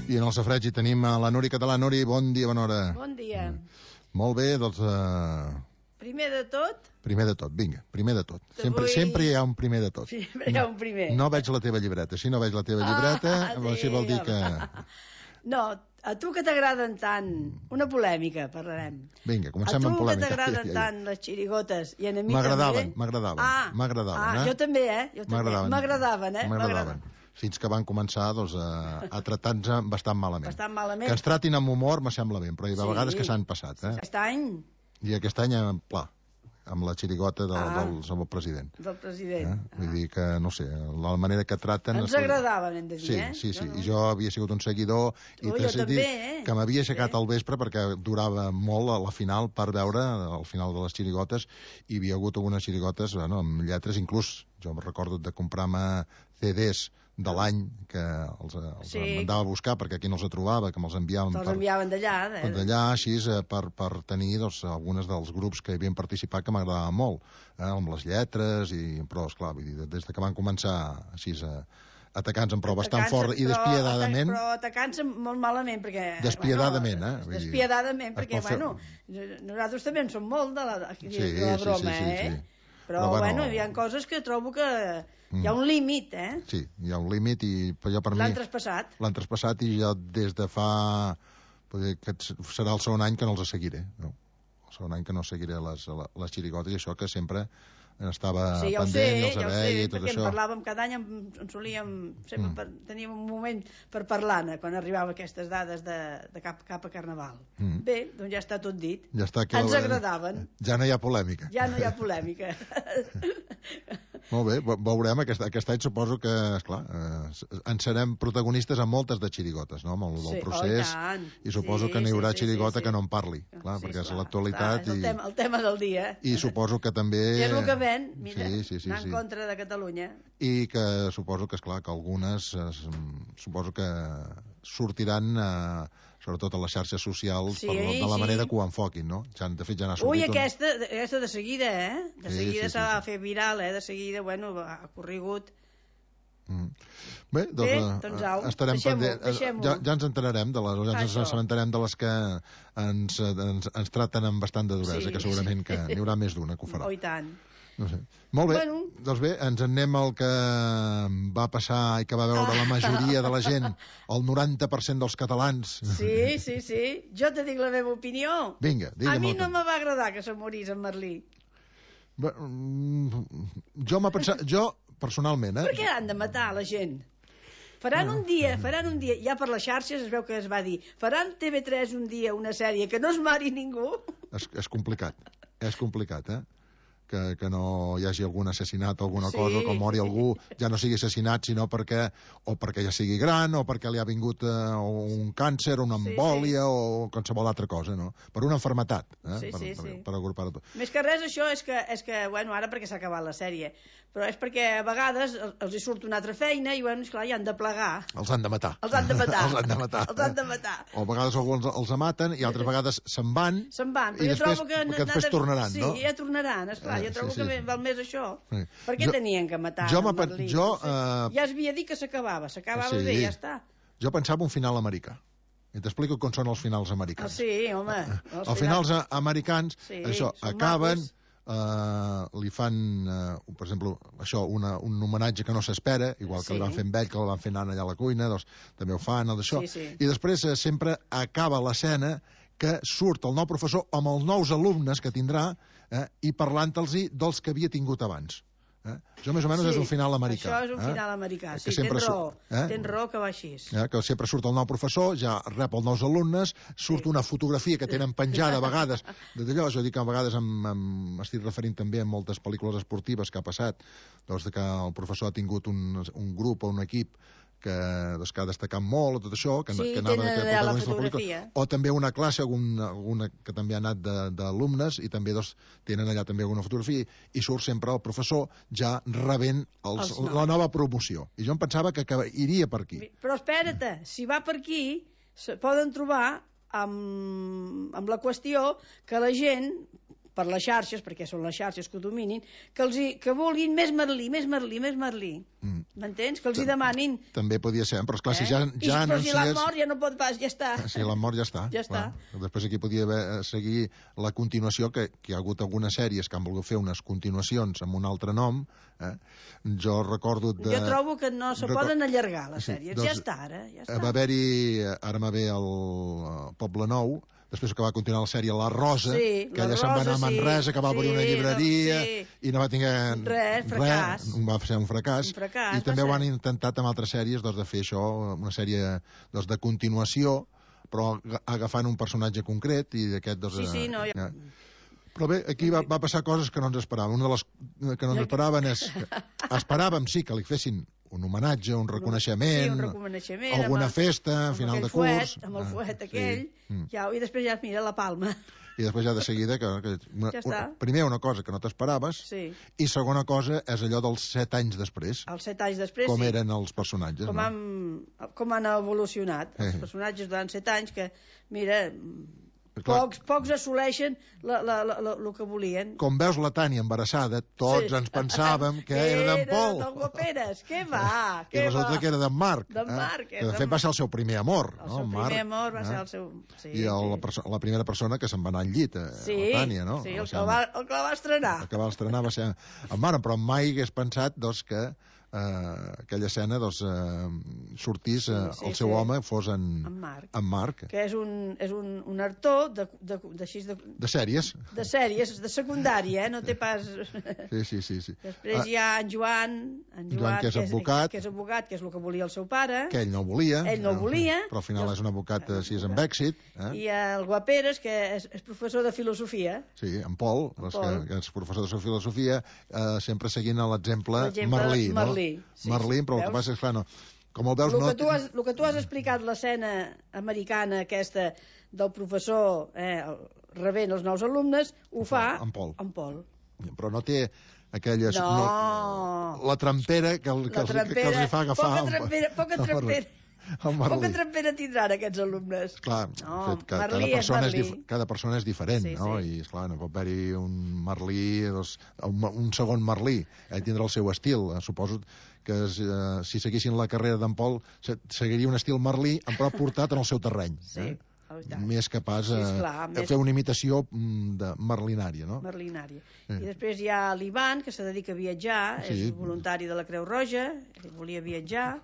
I en el safreig hi tenim a la Núria Català. Núria, bon dia, bona hora. Bon dia. Molt bé, doncs... Primer de tot... Primer de tot, vinga, primer de tot. Sempre hi ha un primer de tot. Sempre hi ha un primer. No veig la teva llibreta. Si no veig la teva llibreta, així vol dir que... No, a tu que t'agraden tant... Una polèmica, parlarem. Vinga, comencem amb polèmica. A tu que t'agraden tant les xirigotes i a mi també... M'agradaven. Jo també, M'agradaven. Fins que van començar doncs, a tratar-nos bastant malament. Que ens tratin amb humor me sembla bé, però hi ha vegades que s'han passat. Aquest any... I aquest any, pla, amb la xirigota del president. Del president. Vull dir que, no sé, la manera que traten... Ens agradaven, hem de dir, Sí. I jo havia sigut un seguidor i t'he dit que m'havia aixecat al vespre perquè durava molt a la final per veure el final de les xirigotes i hi havia hagut algunes xirigotes amb lletres, inclús jo em recordo de comprar-me CDs de l'any que els mandava a buscar perquè aquí no els trobava, que me'ls enviaven d'allà, així per tenir algunes dels grups que hi havien participat que m'agradaven molt, amb les lletres però esclar, des que van començar així atacant-nos però bastant fort i despiadadament, però atacant-se molt malament perquè despiadadament, perquè nosaltres també en som molt de la broma, però bueno, hi ha coses que trobo que hi ha un límit, Sí, hi ha un límit i jo per mi... L'han traspassat i jo des de fa... que serà el segon any que no els seguiré, no? El segon any que no seguiré les xirigotes i això que sempre estava pendent, els veia i tot perquè això. en parlàvem cada any, en solíem sempre teníem un moment per parlar-ne quan arribava aquestes dades de cap a Carnaval. Bé, doncs ja està tot dit. Ja està, ens agradaven. Ja no hi ha polèmica. Molt bé, veurem aquest any, suposo que, esclar, en serem protagonistes en moltes de xirigotes, no? Amb el procés, i suposo que n'hi haurà xirigota que no en parli, clar, perquè és l'actualitat. És el tema del dia. I suposo que també... És el que ven, mira, anar en contra de Catalunya. I que suposo que, esclar, que algunes suposo que sortiran sobretot a les xarxes socials de la manera que ho enfoquin, no? De fet ja n'ha sortit... Ui, aquesta de seguida, de seguida s'ha de fer viral, de seguida, bueno, ha corregut. Bé, doncs estarem pendents. Ja ens enterarem ja ens assabentarem de les que ens traten amb bastant de duresa, que segurament que n'hi haurà més d'una que ho farà. Oh, i tant. No sé. Molt bé, doncs bé, ens en anem al que va passar i que va veure la majoria de la gent, el 90% dels catalans. Sí, jo te dic la meva opinió. Vinga, digue'm. A mi no me va agradar que se morís en Merlí. Jo personalment, Per què han de matar la gent? Faran un dia, ja per les xarxes es veu que es va dir, faran TV3 un dia una sèrie que no es mari ningú. És complicat, que no hi hagi algun assassinat o alguna cosa, que mori algú, ja no sigui assassinat sinó perquè ja sigui gran o perquè li ha vingut un càncer, una embòlia o qualsevol altra cosa, no? Per una enfermetat, per agrupar-ho tot. Més que res això és que bueno, ara perquè s'ha acabat la sèrie, però és perquè a vegades els hi surt una altra feina i bueno, esclar, ja han de plegar. Els han de matar. O a vegades alguns els maten i altres vegades se'n van i després tornaran, no? Sí, ja tornaran, esclar. Jo trobo que val més això. Per què tenien que matar Merlí? Ja es havia dit que s'acabava bé, ja està. Jo pensava un final americà. I t'explico com són els finals americans. Sí, home. Els finals americans, això, acaben, li fan, per exemple, això, un homenatge que no s'espera, igual que li van fer amb ell, que el van fer anant allà a la cuina, doncs també ho fan, d'això. I després sempre acaba l'escena que surt el nou professor amb els nous alumnes que tindrà i parlant-los dels que havia tingut abans. Això més o menys és un final americà. Això és un final americà, sí, tens raó que va així. Que sempre surt el nou professor, ja rep els nous alumnes, surt una fotografia que tenen penjada a vegades, d'allò, jo dic que a vegades m'estic referint també a moltes pel·lícules esportives que ha passat, doncs que el professor ha tingut un grup o un equip que ha destacat molt, tot això, que anava de protagonista de la pel·lícula, o també una classe, alguna que també ha anat d'alumnes, i també tenen allà també alguna fotografia, i surt sempre el professor ja rebent la nova promoció. I jo em pensava que iria per aquí. Però espera't, si va per aquí, poden trobar amb la qüestió que la gent, per les xarxes, perquè són les xarxes que ho dominin, que vulguin més Merlí. M'entens? Que els hi demanin. També podia ser, però esclar, si ja anuncies... Però si l'han mort ja no pot pas, ja està. Si l'han mort ja està. Ja està. Després aquí podia seguir la continuació, que hi ha hagut algunes sèries que han volgut fer unes continuacions amb un altre nom. Jo recordo... Jo trobo que no se poden allargar les sèries. Ja està, ara. Va haver-hi, ara m'ha ve el Poble Nou, després que va continuar la sèrie La Rosa, que ella se'n va anar a Manresa, que va obrir una llibreria i no va tenir res, fracàs. Va ser un fracàs. I també ho han intentat amb altres sèries de fer això, una sèrie de continuació, però agafant un personatge concret i d'aquest... Però bé, aquí va passar coses que no ens esperàvem. Una de les que no ens esperaven és... Esperàvem, sí, que li fessin un homenatge, un reconeixement, alguna festa, final de curs... Amb el fuet aquell, i després ja mira la palma. I després ja de seguida... Primer, una cosa que no t'esperaves, i segona cosa és allò dels 7 anys després. Els 7 anys després, com eren els personatges. Com han evolucionat els personatges durant 7 anys, que, mira... Pocs assoleixen el que volien. Com veus la Tània embarassada, tots ens pensàvem que era d'en Pol. Era del Guaperes, què va? I resulta que era d'en Marc. Que de fet va ser el seu primer amor. El seu primer amor va ser el seu... I la primera persona que se'n va anar al llit, la Tània, no? Sí, el que la va estrenar. El que va estrenar va ser en Marc, però mai hagués pensat que aquella escena sortís el seu home fos en Marc, que és un actor de sèries, de secundària, no té pas... Sí. Després hi ha en Joan, que és advocat, que és el que volia el seu pare, que ell no volia, però al final és un advocat així amb èxit, i el Guaperes, que és professor de filosofia. Sí, en Pol, que és professor de filosofia, sempre seguint l'exemple Merlí, no? Merlí, però el que passa és clar, no. Com el veus, el que tu has explicat, l'escena americana aquesta del professor rebent els nous alumnes, ho fa en Pol. Però no té aquella... La trampera que els fa agafar... Poca trampera tindran aquests alumnes. Clar, cada persona és diferent, no? I, esclar, no pot haver-hi un Merlí, un segon Merlí, tindrà el seu estil. Suposo que si seguissin la carrera d'en Pol, seguiria un estil Merlí, però portat en el seu terreny. Més capaç de fer una imitació merlinària, no? Merlinària. I després hi ha l'Ivan, que se dedica a viatjar, és voluntari de la Creu Roja, volia viatjar.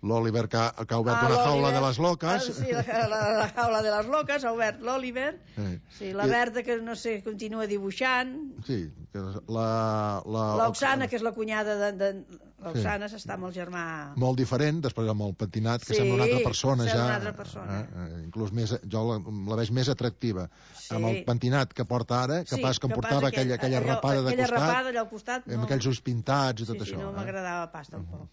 L'Oliver, que ha obert una jaula de les loques. Sí, la jaula de les loques, ha obert l'Oliver. Sí, la Berta, que no sé, continua dibuixant. Sí, l'Oxana, que és la cunyada l'Oxana s'està amb el germà... Molt diferent, després amb el pentinat, que sembla una altra persona ja. Una altra persona. Inclús jo la veig més atractiva. Amb el pentinat que porta ara, que pas que em portava aquella rapada de costat. Aquella rapada allà al costat, no. Amb aquells ulls pintats i tot això. Sí, no m'agradava pas tampoc.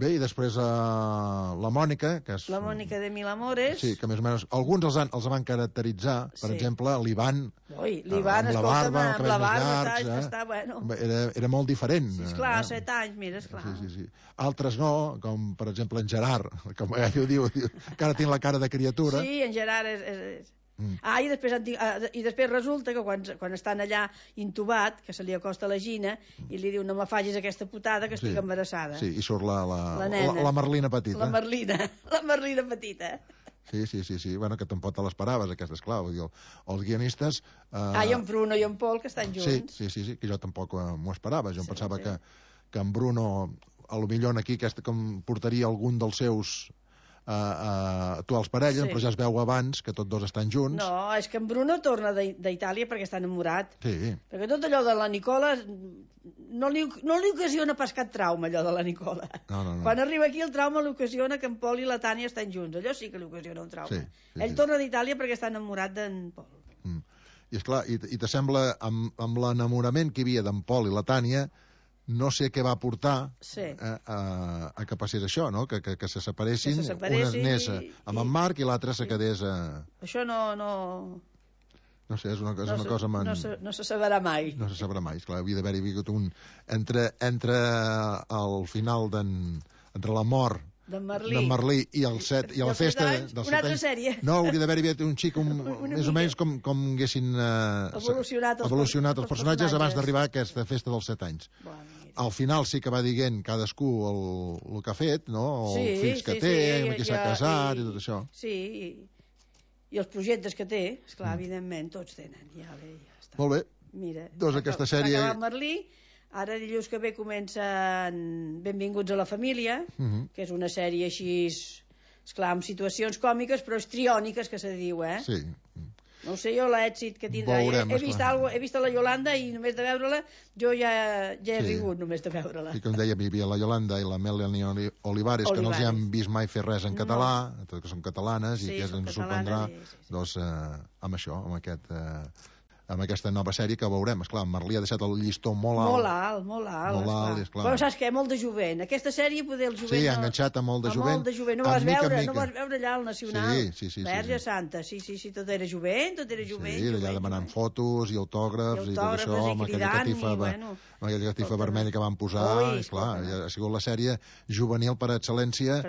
Bé, i després la Mònica, que és... La Mònica de Mil Amores. Sí, que més o menys... Alguns els van caracteritzar, per exemple, l'Ivan... L'Ivan, escolta'm, amb la barba, està bueno. Era molt diferent. Sí, esclar, 7 anys, mira, esclar. Sí. Altres no, com per exemple en Gerard, com ell ho diu, que ara tinc la cara de criatura. Sí, en Gerard és... I després resulta que quan estan allà intubat, que se li acosta la Gina i li diu: no me facis aquesta putada que estic embarassada. Sí, i surt la Merlina petita. La Merlina petita. Sí, bueno, que tampoc te l'esperaves, aquesta, esclar, vull dir, els guionistes... I en Bruno i en Pol, que estan junts. Sí, que jo tampoc m'ho esperava, jo em pensava que en Bruno, a lo millor aquí, com portaria algun dels seus actuals parelles, però ja es veu abans que tots dos estan junts. No, és que en Bruno torna d'Itàlia perquè està enamorat. Sí. Perquè tot allò de la Nicola no li ocasiona pas cap trauma, allò de la Nicola. No. Quan arriba aquí el trauma li ocasiona que en Pol i la Tània estan junts. Allò sí que li ocasiona un trauma. Ell torna d'Itàlia perquè està enamorat d'en Pol. I esclar, i t'assembla amb l'enamorament que hi havia d'en Pol i la Tània, no sé què va portar a que passés això, no? Que se separessin, una anés amb en Marc i l'altra se quedés a... Això no... No sé, és una cosa... No se sabrà mai. No se sabrà mai, esclar, havia d'haver-hi hagut un... Entre el final entre la mort d'en Merlí i la festa dels 7 anys... Una altra sèrie. No, hauria d'haver-hi un xic més o menys com haguessin evolucionat els personatges abans d'arribar a aquesta festa dels 7 anys. Al final sí que va dient cadascú el que ha fet, no? Els fills que té, amb qui s'ha casat i tot això. Sí, i els projectes que té, esclar, evidentment, tots tenen. Ja està. Molt bé. Mira, doncs aquesta sèrie... s'ha acabat Merlí, ara dilluns que ve comencen Benvinguts a la família, que és una sèrie així, esclar, amb situacions còmiques, però histriòniques, que se diu, Sí. No ho sé jo l'èxit que tindrà. He vist la Yolanda i només de veure-la jo ja he rigut només de veure-la. I com dèiem, hi havia la Yolanda i la Melanie Olivares, que no els hi han vist mai fer res en català, tot que són catalanes, i que ens sorprendrà amb això, amb aquesta nova sèrie que veurem. Esclar, Merlí ha deixat el llistó molt alt. Molt alt, esclar. Però saps què? Molt de jovent. Aquesta sèrie, poder el jovent... Sí, ha enganxat a molt de jovent. No vas veure allà al Nacional. Sí. Verge Santa, sí, tot era jovent. Sí, allà demanant fotos i autògrafs i tot això, amb aquella catifa vermella que van posar. Esclar, ha sigut la sèrie juvenil per excel·lència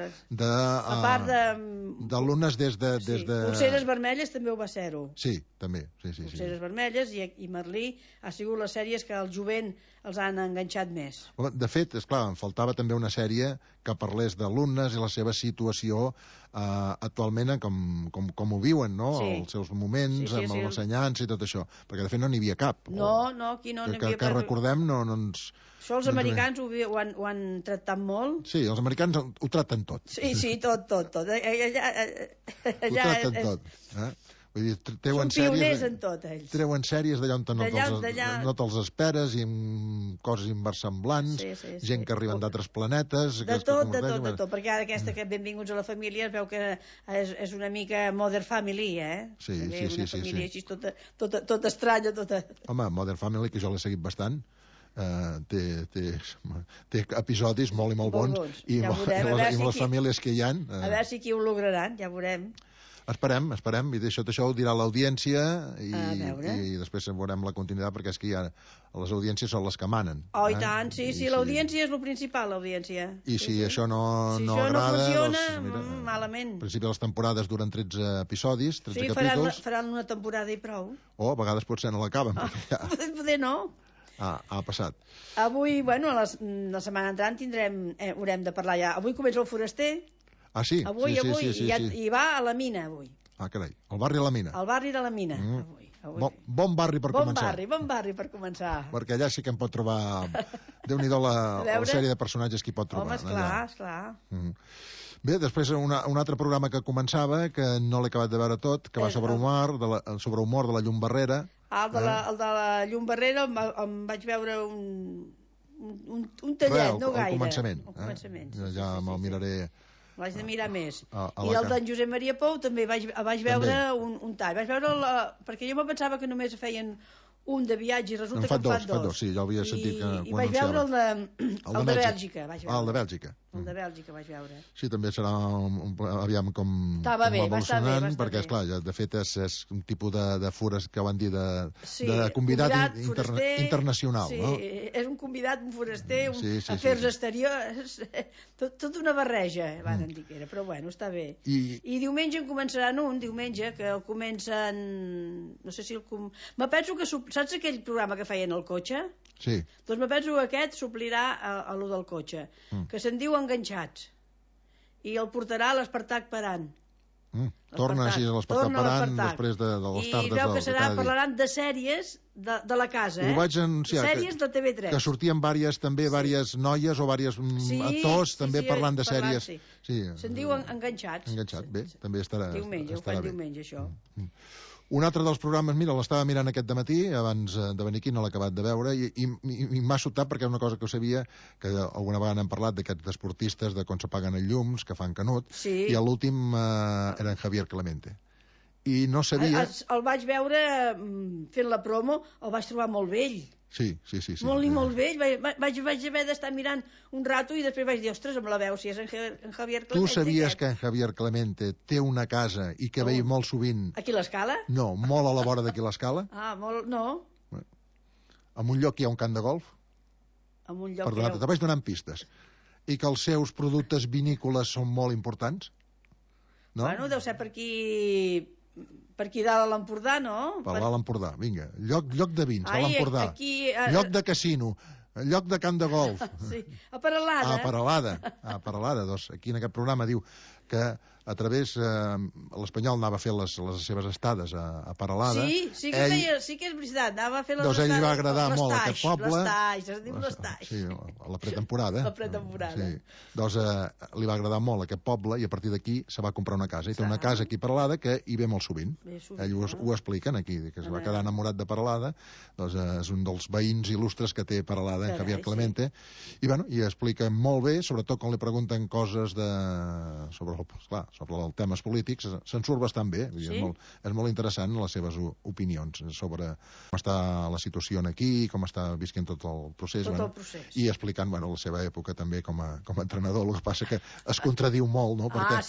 d'alumnes des de... Polseres vermelles també ho va ser-ho. Sí, també. Polseres vermelles i Merlí ha sigut les sèries que el jovent els han enganxat més. De fet, esclar, em faltava també una sèrie que parlés d'alumnes i la seva situació actualment, com ho viuen, no? Els seus moments, amb l'ensenyança i tot això. Perquè, de fet, no n'hi havia cap. No, aquí no n'hi havia que recordem, no ens... Això els americans ho han tractat molt. Sí, els americans ho tracten tot. Sí, tot. Ho tracten tot. Vull dir, són pioners en tot, ells. Treuen sèries d'allà on no te'ls esperes, i amb coses inversemblants, gent que arriben d'altres planetes... De tot, perquè ara aquesta que Benvinguts a la família es veu que és una mica Modern Family, Sí. Una família així tota estranya, tota... Home, Modern Family, que jo l'he seguit bastant, té episodis molt i molt bons, i les famílies que hi ha... A veure si aquí ho lograran, ja veurem. Esperem, i això ho dirà l'audiència i després veurem la continuïtat, perquè és que les audiències són les que manen. I tant, sí, l'audiència és el principal, l'audiència. I si això no no agrada... funciona, malament. Al principi les temporades duren 13 episodis, 13 capítols... Sí, faran una temporada i prou. O a vegades potser no l'acaben. Poder no. Ha passat. Avui, la setmana entrant haurem de parlar ja. Avui comença el Foraster. Sí? Avui, i va a la mina, avui. Carai, el barri de la mina. El barri de la mina, avui. Bon barri per començar. Bon barri per començar. Perquè allà sí que em pot trobar... Déu-n'hi-do la sèrie de personatges que hi pot trobar. Home, esclar. Bé, després un altre programa que començava, que no l'he acabat de veure tot, que va sobre humor de la llum barrera. El de la llum barrera em vaig veure un tallet, no gaire. Al començament. Ja me'l miraré... L'haig de mirar més. I el d'en Josep Maria Pou també vaig veure un tall. Vaig veure perquè jo me pensava que només feien un de viatge i resulta que en fan dos. Sí, ja ho havia sentit que I vaig veure el de Bèlgica. El de Bèlgica. El de Bèlgica vaig veure. Sí, també serà aviam com evolucionant, perquè, esclar, de fet és un tipus de fures que van dir de convidat internacional. Sí, és un convidat, un foraster, afers exteriors, tot una barreja, van dir que era, però bueno, està bé. I diumenge en començaran que el comencen... No sé si me penso que... Saps aquell programa que feien al cotxe? Sí. Doncs me penso que aquest suplirà a lo del cotxe, que se'n diu Enganxats, i el portarà l'Espartac Paran. Torna així a l'Espartac Paran després de les tardes. I veu que parlaran de sèries de la casa, Ho vaig anunciar, sèries de TV3. Que sortien vàries noies o vàries actors també parlant de sèries. Se'n diu Enganxats. Bé, també estarà bé. Ho fan diumenge, això. Un altre dels programes, mira, l'estava mirant aquest dematí, abans de venir aquí, no l'he acabat de veure, i m'ha sobtat perquè és una cosa que ho sabia, que alguna vegada hem parlat d'aquests esportistes, de com s'apaguen els llums, que fan canut, i l'últim era en Javier Clemente. I no sabia... El vaig veure fent la promo, el vaig trobar molt vell. Sí. Molt vell. Vaig haver d'estar mirant un rato i després vaig dir, ostres, amb la veu, si és en Javier Clemente. Tu sabies que en Javier Clemente té una casa i que veia molt sovint... Aquí a l'Escala? No, molt a la vora d'aquí l'Escala. Molt, no. En un lloc hi ha un camp de golf. En un lloc... Perdona, te vaig donant pistes. I que els seus productes vinícoles són molt importants? No? Bueno, deu ser per aquí dalt a l'Empordà, no? Per dalt a l'Empordà, vinga. Lloc de vins, a l'Empordà. Lloc de casino. Lloc de camp de golf. Sí, a Peralada. A Peralada. Doncs aquí en aquest programa diu que a través l'Espanyol anava a fer les seves estades a Peralada. Sí que és veritat, anava a fer les estades. Doncs ell li va agradar molt aquest poble. L'Estaix, es diu l'Estaix. Sí, a la pretemporada. La pretemporada. Sí. Doncs li va agradar molt aquest poble i a partir d'aquí se va comprar una casa. I té una casa aquí a Peralada que hi ve molt sovint. Ell ho expliquen aquí, que es va quedar enamorat de Peralada. Doncs és un dels veïns il·lustres que té Peralada, en Javier Clemente. I explica molt bé, sobretot quan li pregunten coses sobre els temes polítics, se'n surt bastant bé. Sí? És molt interessant les seves opinions sobre com està la situació aquí, com està visquent tot el procés. I explicant la seva època també com a entrenador. El que passa que es contradiu molt, no? Perquè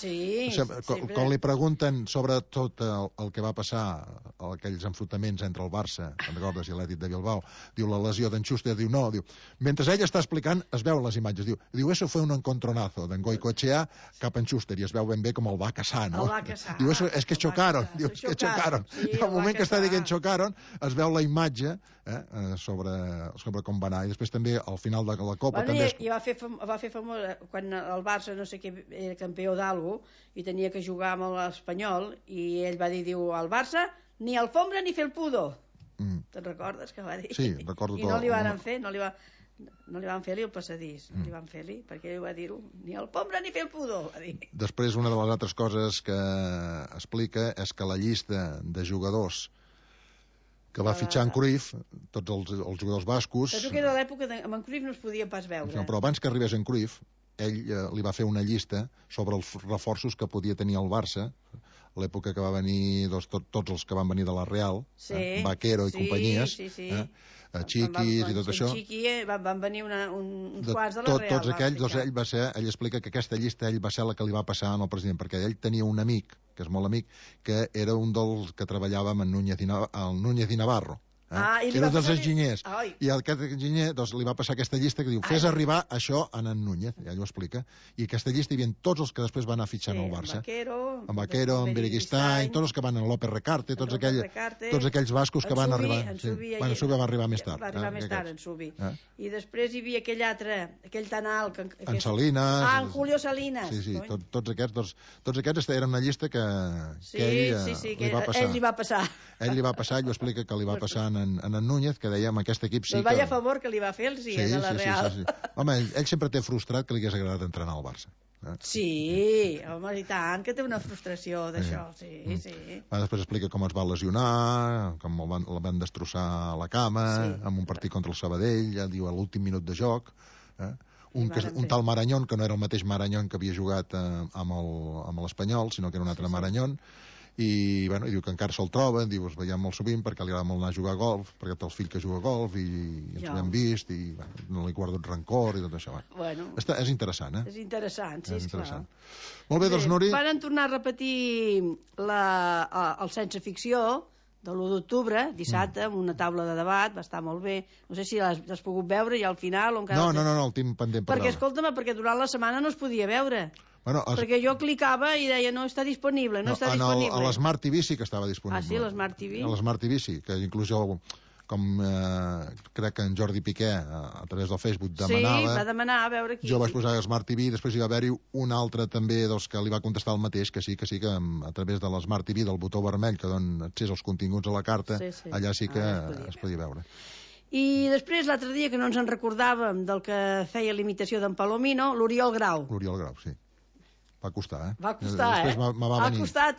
quan li pregunten sobre tot el que va passar, aquells enfrontaments entre el Barça, te'n recordes, i l'Atlètic de Bilbao, diu la lesió d'en Schuster, diu no, mentre ell està explicant es veuen les imatges, diu eso fue un encontronazo d'en Goicoechea cap en Schuster i es veu ben bé com el va casar, no? Diu, és que xocaron. Diu, és que xocaron. I al moment que està dient xocaron, es veu la imatge sobre com va anar. I després també, al final de la Copa... I va fer famós quan el Barça, no sé què, era campió d'algú i tenia que jugar amb l'Espanyol i ell va dir, diu, al Barça ni alfombra ni felpudo. Te'n recordes que va dir? Sí, recordo tot. I no li van fer, no li van fer-li el passadís, no li van fer-li, perquè ell va dir-ho, ni el pombra ni fer el pudor, va dir. Després, una de les altres coses que explica és que la llista de jugadors que va fitxar en Cruyff, tots els jugadors bascos... Penso que era l'època amb en Cruyff no es podia pas veure. No, però abans que arribés en Cruyff, ell li va fer una llista sobre els reforços que podia tenir el Barça, l'època que va venir tots els que van venir de la Real, Vaquero i companyies, Chiquis i tot això. Van venir uns quants de la Real. Tots aquells, ell explica que aquesta llista ell va ser la que li va passar al president, perquè ell tenia un amic, que és molt amic, que era un dels que treballava amb el Núñez i Navarro. Era dels enginyers. I aquest enginyer li va passar aquesta llista que diu, fes arribar això a en Núñez, ja ell ho explica, i aquesta llista hi havia tots els que després van anar fitxant al Barça. En Vaquero, en Bereguistany, tots els que van en López Recarte, tots aquells bascos que van arribar. En Subi va arribar més tard. Va arribar més tard, en Subi. I després hi havia aquell altre, aquell tan alt... En Salinas. En Julio Salinas. Sí, tots aquests eren una llista que ell li va passar. Ell li va passar, ell ho explica que li va passar en Núñez, que deia, amb aquest equip sí que... Vaya favor que li va fer a la Real. Sí. Home, ell sempre té frustrat que li hagués agradat entrenar al Barça. Sí, home, i tant, que té una frustració d'això, sí. Després explica com es va lesionar, com el van destrossar a la cama, en un partit contra el Sabadell, ja diu a l'últim minut de joc, un tal Marañón, que no era el mateix Marañón que havia jugat amb l'Espanyol, sinó que era un altre Marañón, i diu que encara se'l troba, diu, es veiem molt sovint perquè li agrada molt anar a jugar a golf, perquè té el fill que juga a golf i ens ho hem vist i no li guardo rancor i tot això. És interessant, És interessant, sí, esclar. Molt bé, doncs, Nuri. Van tornar a repetir el Sense Ficció de l'1 d'octubre, dissabte, amb una taula de debat, va estar molt bé. No sé si l'has pogut veure ja al final o encara... No, el tinc pendent per veure. Perquè, escolta'm, perquè durant la setmana no es podia veure. Perquè jo clicava i deia no està disponible, no està disponible. A l'Smart TV sí que estava disponible. Ah, sí, l'Smart TV? A l'Smart TV sí, que inclús jo, com crec que en Jordi Piqué, a través del Facebook, demanava... Sí, va demanar a veure qui... Jo vaig posar Smart TV, després hi va haver-hi un altre també que li va contestar el mateix, que sí que a través de l'Smart TV, del botó vermell que dona accés als continguts a la carta, allà sí que es podia veure. I després, l'altre dia, que no ens en recordàvem del que feia l'imitació d'en Palomino, l'Oriol Grau. L'Oriol Grau, sí. Va costar, Va costar, després va venir. Ha costat,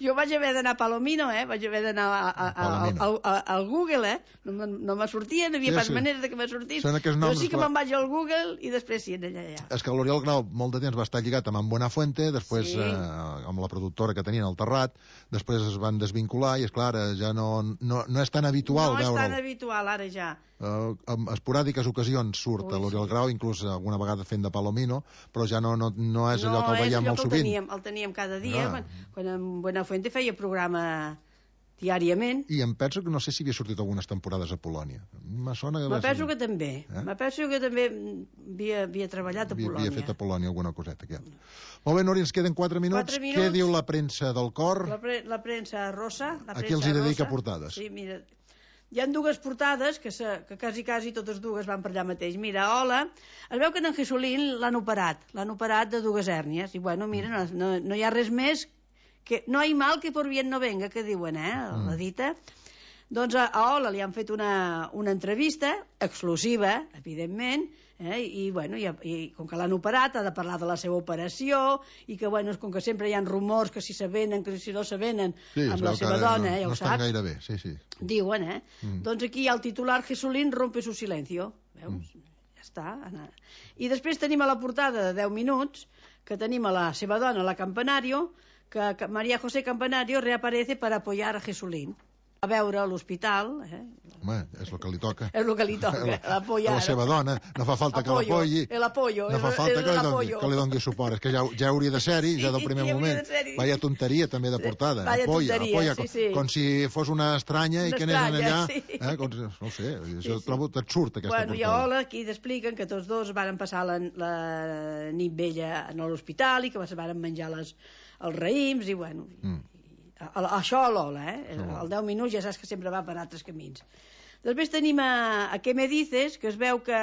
Jo vaig haver d'anar a Palomino, vaig haver d'anar al Google, no me sortia, no havia pas manera que me sortís. Jo sí que me'n vaig al Google i després sí, allà. És que l'Oriol Grau molt de temps va estar lligat amb en Buenafuente, després amb la productora que tenien al Terrat, després es van desvincular i, esclar, ja no és tan habitual veure'l. No és tan habitual, ara ja. En esporàdiques ocasions surt l'Oriol Grau, inclús alguna vegada fent de Palomino, però ja no és allò que el veiem molt sovint. El teníem cada dia, quan en Buenafuente feia programa diàriament. I em penso que no sé si havia sortit algunes temporades a Polònia. Me penso que també. Me penso que també havia treballat a Polònia. Havia fet a Polònia alguna coseta. Molt bé, Nuri, ens queden 4 minuts. Què diu la premsa del cor? La premsa rosa. A qui els hi dedica portades? Sí, mira... hi ha dues portades que quasi totes dues van per allà mateix. Mira, hola, es veu que en Jesulín l'han operat de dues hèrnies, i bueno, mira, no hi ha res més, que no hi mal que por bien no venga, que diuen, la dita. Doncs a Ola li han fet una entrevista, exclusiva, evidentment, i com que l'han operat ha de parlar de la seva operació, i que, bueno, com que sempre hi ha rumors que si s'avenen, que si no s'avenen, amb la seva dona, ja ho saps. No estan gaire bé, sí. Diuen, Doncs aquí hi ha el titular Jesulín rompe su silencio. Veus? Ja està. I després tenim a la portada de 10 minuts, que tenim a la seva dona, la Campanario, que María José Campanario reaparece per apoyar a Jesulín. A veure a l'hospital. Home, és el que li toca. És el que li toca, l'apoyar. A la seva dona, no fa falta que l'apoyi. No fa falta que li doni suport. És que ja hauria de ser-hi, ja del primer moment. Vaya tonteria, també, de portada. Apoya, com si fos una estranya i que anés allà. No sé, jo trobo absurd, aquesta portada. I a Ola, aquí t'expliquen que tots dos van passar la nit vella a l'hospital i que van menjar els raïms i, bueno... Això a l'Ola, el 10 minuts ja saps que sempre va per altres camins. Després tenim a Què me dices, que es veu que...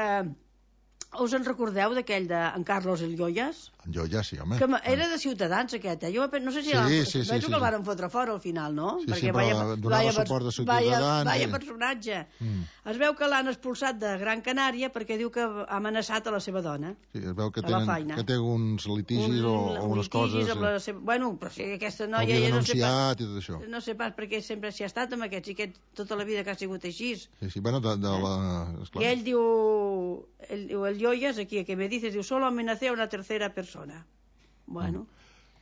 Us en recordeu d'aquell d'en Carlos el Lloyas? En Lloyas, sí, home. Que era de Ciutadans, aquest, Jo no sé si... Sí. Penso que el varen fotre fora al final, no? Sí, però donava suport de Ciutadans. Vaya personatge. Es veu que l'han expulsat de Gran Canària perquè diu que ha amenaçat a la seva dona. Sí, es veu que té uns litigis o unes coses... Bueno, però si aquesta noia... Hauria denunciat i tot això. No sé pas perquè sempre s'hi ha estat amb aquests, i aquest tota la vida que ha sigut així. Sí, bueno, I ell diu... El Lloyas, aquí, que me dices, diu, solo amenacé a una tercera persona. Bueno.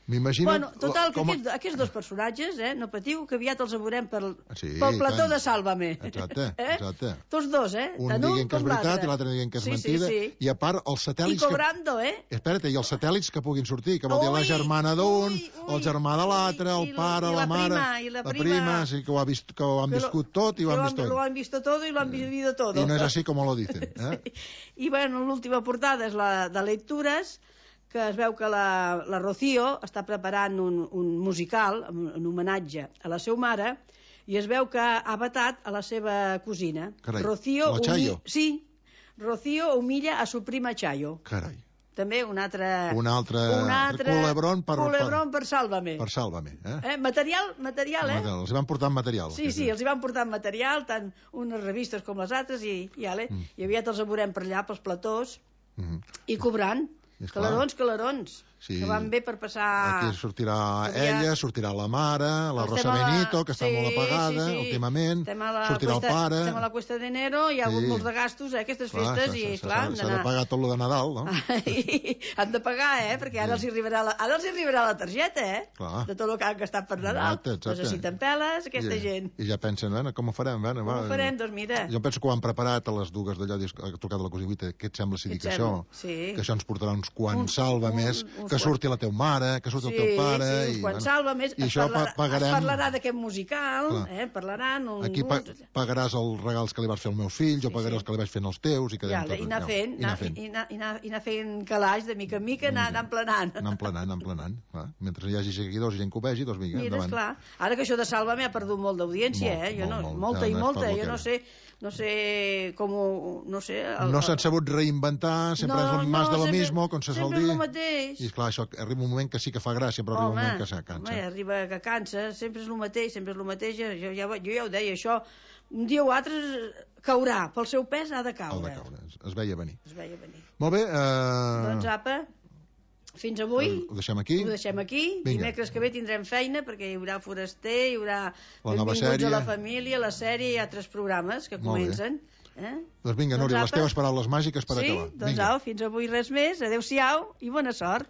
M'imagino... Bueno, total, que aquests dos personatges, no patiu, que aviat els veurem pel plató de Sálvame. Exacte. Tots dos, Un dient que és veritat i l'altre dient que és mentida. I a part, els satèl·lits... I cobrando, Espera't, i els satèl·lits que puguin sortir, que vol dir la germana d'un, el germà de l'altre, el pare, la mare... La prima, sí, que ho han viscut tot i ho han vist tot. Lo han visto todo y lo han vivido todo. I no és així com lo dicen. I, bueno, l'última portada és la de lectures, que es veu que la Rocío està preparant un musical en homenatge a la seva mare i es veu que ha vetat a la seva cosina. Carai, la Chayo? Sí, Rocío humilla a su prima Chayo. Carai. També un altre culebrón per Sálvame. Per Sálvame, Material, Els van portant material. Sí, els van portant material, tant unes revistes com les altres, i aviat els veurem per allà, pels platós, i cobrant. Calarons, que van bé per passar... Aquí sortirà ella, sortirà la mare, la Rosa Benito, que està molt apagada últimament, sortirà el pare... Estem a la Cuesta d'Enero, hi ha hagut molts de gastos, aquestes festes, i clar... S'ha de pagar tot lo de Nadal, no? Han de pagar, perquè ara els hi arribarà la targeta, de tot el que han gastat per Nadal. Necessiten peles, aquesta gent. I ja pensen, com ho farem? Com ho farem? Doncs mira... Jo penso que ho han preparat a les dues d'allò, ha trucat a la cosina, què et sembla si dic això? Que això ens portarà uns quants Sálvames, que surti la teva mare, que surti el teu pare... Sí, quan Sálvames es parlarà d'aquest musical, parlaran... Aquí pagaràs els regals que li vas fer als meus fills, jo pagaré els que li vaig fent als teus, i quedem tot... I anar fent calaix de mica en mica, anar emplenant. Anar emplenant. Mentre hi hagi seguidors i gent que ho vegi, doncs vinga, endavant. Mira, esclar. Ara que això de Sálvame ha perdut molt d'audiència, molta, jo no sé com... No s'han sabut reinventar, sempre és más de lo mismo, com se sol dir. Sempre és el mateix. I esclar, això arriba un moment que sí que fa gràcia, però arriba un moment que cansa. Home, arriba que cansa, sempre és el mateix, jo ja ho deia, això, un dia o altre caurà, pel seu pes ha de caure. Es veia venir. Molt bé. Doncs apa, fins avui ho deixem aquí. Dimecres que ve tindrem feina perquè hi haurà Foraster, hi haurà Benvinguts a la família, la sèrie i altres programes que comencen. Doncs vinga, Núria, les teves paraules màgiques per acabar. Sí, doncs fins avui res més, adeu-siau i bona sort.